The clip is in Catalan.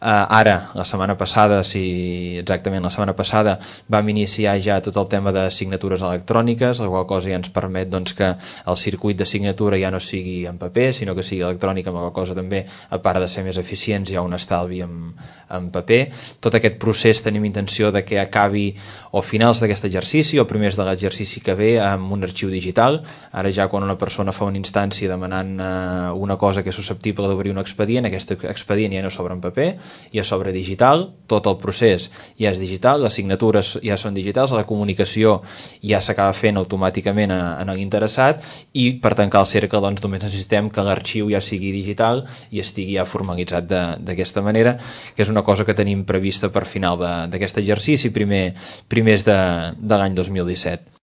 Ara, la setmana passada, exactament la setmana passada, vam iniciar ja tot el tema de signatures electròniques, la qual cosa ja ens permet doncs, que el circuit de signatura ja no sigui en paper, sinó que sigui electrònic, amb la qual cosa també, a part de ser més eficients, hi ha un estalvi en paper. Tot aquest procés tenim intenció de que acabi o finals d'aquest exercici o primers de l'exercici que ve amb un arxiu digital. Ara ja quan una persona fa una instància demanant una cosa que és susceptible d'obrir un expedient, aquest expedient ja no s'obre en paper, ja s'obre digital, tot el procés ja és digital, les signatures ja són digitals, la comunicació ja s'acaba fent automàticament en l'interessat i per tancar el cercle doncs, només necessitem que l'arxiu ja sigui digital i estigui ja formalitzat d'aquesta manera, que és una cosa que tenim prevista per final d'aquest exercici, primers de l'any 2017.